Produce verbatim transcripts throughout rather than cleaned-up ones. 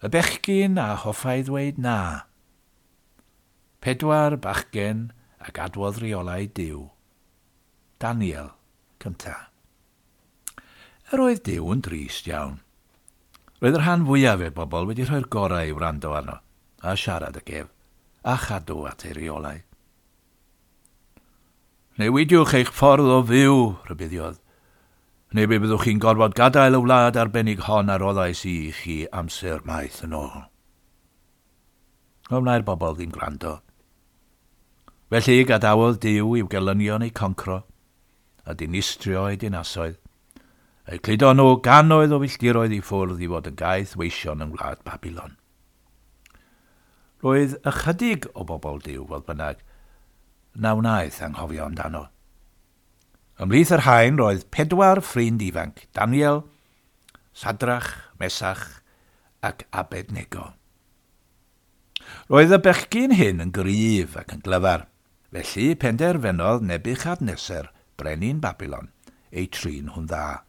Y bechgyn a hoffai ddweud na. Pedwar bachgen a gadwodd reolau Duw. Daniel cynta. Yr oedd Duw yn drist iawn. Roedd y rhan fwyaf o'r bobl wedi rhoi'r gorau i wrando arno, a siarad ag ef, a chadw at ei reolau. Newidiwch eich ffordd o fyw, rhybuddiodd, neu fe byddwch chi'n gorfod gadael y wlad arbennig hon a roddais i chi amser maith yn ôl. Ond wna'r bobl ddim gwrando. Felly gadawodd Duw i'w gelynion eu concro a dinistrio eu dinasoedd. Eu cludo nhw gannoedd o filltiroedd i ffwrdd i fod yn gaeth weision yng ngwlad Babilon. Roedd ychydig o bobl Duw, fodd bynnag, na wnaeth anghofio amdano. Ymhlith yr rhain roedd pedwar ffrind ifanc, Daniel, Sadrach, Mesach ac Abednego. Roedd y bechgyn hyn yn gryf ac yn glyfar, felly penderfynodd Nebuchadnezzar, brenin Babilon, eu trin nhw'n dda.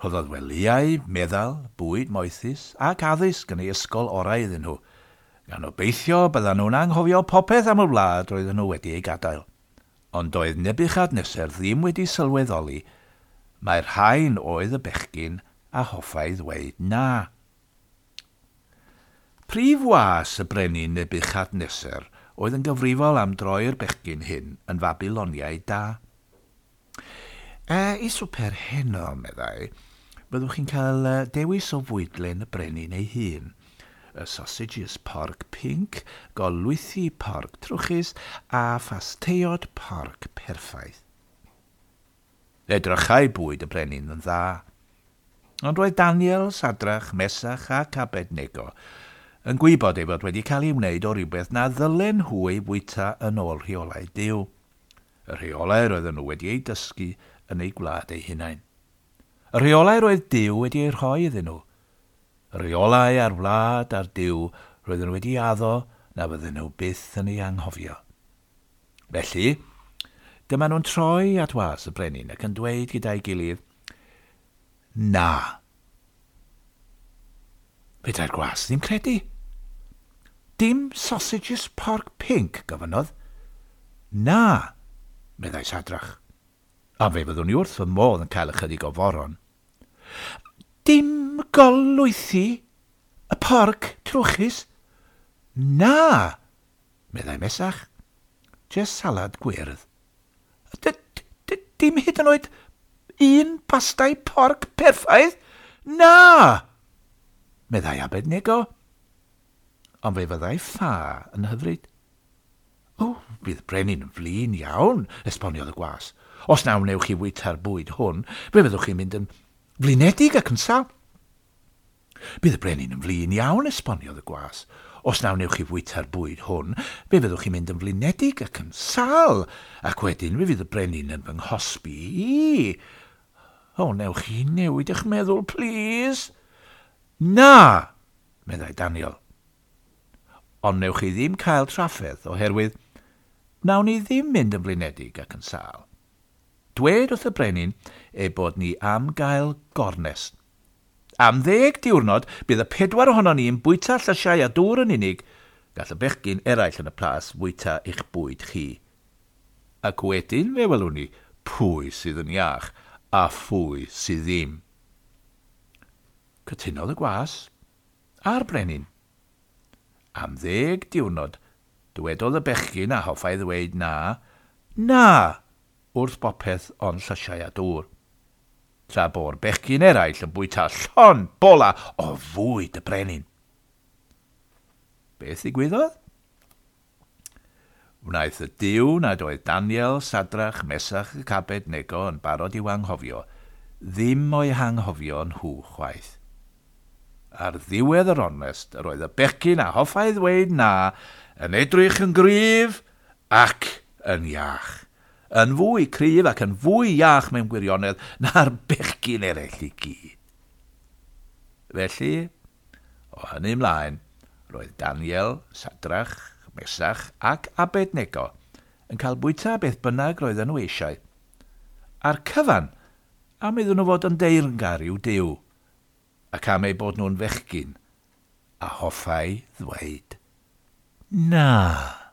Rhoddodd welyau, meddal, bwyd moethus ac addysg yn ei ysgol orau iddyn nhw, gan obeithio byddan nhw'n anghofio popeth am y wlad roedden nhw wedi ei gadael. Ond doedd Nebuchadnezzar ddim wedi sylweddoli mai'r rhain oedd y bechgyn a hoffai ddweud na. Prif was y brenin Nebuchadnezzar oedd yn gyfrifol am droi'r bechgyn hyn yn Fabiloniaid da. E, i swper heno, meddai, byddwch chi'n cael dewis o fwydlen y brenin ei hun. Y sausages porc pinc, golwythi porc trwchus a phasteiod porc perffaith. Edrychai bwyd y brenin yn dda. Ond roedd Daniel, Sadrach, Mesach ac Abednego yn gwybod ei fod wedi cael ei wneud o rywbeth na ddylen nhw ei fwyta yn ôl rheolau Duw. Y rheolau roedden nhw wedi eu dysgu yn eu gwlad eu hunain. Y rheolau roedd Duw wedi eu rhoi iddyn nhw. Y rheolau a'r wlad a'r Duw roedden nhw wedi addo na fydden nhw byth yn ei anghofio. Felly, dyma nhw'n troi at was y brenin ac yn dweud gyda'i gilydd, na. Fedrai'r gwas ddim credu. Dim sausages porc pinc, gofynnodd. Na, meddai Sadrach. A fe fyddwn i wrth fy modd yn cael ychydig o foron. Dim golwythi y porc trwchus? Na, meddai Mesach. Just salad gwyrdd. Dim hyd yn oed un pastai porc perffaith? Na, meddai Abednego. Ond fe fyddai ffa yn hyfryd. O, bydd brenin yn flin iawn, esboniodd y gwas. Os na wnewch chi fwyta'r bwyd hwn, fe fyddwch chi'n mynd yn flinedig ac yn sâl. Bydd y brenin yn flin iawn, esboniodd y gwas. Os na wnewch chi fwyta'r bwyd hwn, fe fyddwch chi'n mynd yn flinedig ac yn sâl, ac wedyn fe fydd y brenin yn fy nghosbi i. O, newch chi newid eich meddwl, plîs. Na, meddai Daniel. Ond newch chi ddim cael trafferth oherwydd wnawn ni ddim mynd yn flinedig ac yn sâl. Dwed wrth y brenin ei bod ni am gael gornest. Am ddeg diwrnod bydd y pedwar ohonon ni yn bwyta llysiau a dŵr yn unig, gall y bechgyn eraill yn y plas fwyta eich bwyd chi. Ac wedyn fe welwn ni pwy sydd yn iach a phwy sydd ddim. Cytunodd y gwas a'r brenin. Am ddeg diwrnod, dywedodd y bechgyn a hoffai ddweud na, na, wrth bopeth ond llysiau a dŵr. Tra bo'r bechgyn eraill yn bwyta llond bola o fwyd y brenin. Beth ddigwyddodd? Wnaeth y Duw nad oedd Daniel, Sadrach, Mesach ac Abednego yn barod i'w anghofio, ddim o'u hanghofio nhw chwaith. Ar ddiwedd yr ornest, yr oedd y bechgyn a hoffai ddweud na yn edrych yn gryf ac yn iach. Yn fwy cryf ac yn fwy iach mewn gwirionedd na'r bechgyn eraill i gyd. Felly, o hynny ymlaen, roedd Daniel, Sadrach, Mesach ac Abednego yn cael bwyta beth bynnag roedden nhw eisiau. A'r cyfan am iddyn nhw fod yn deyrngar i'w Duw, ac am eu bod nhw'n fechgyn A hoffai ddweud na.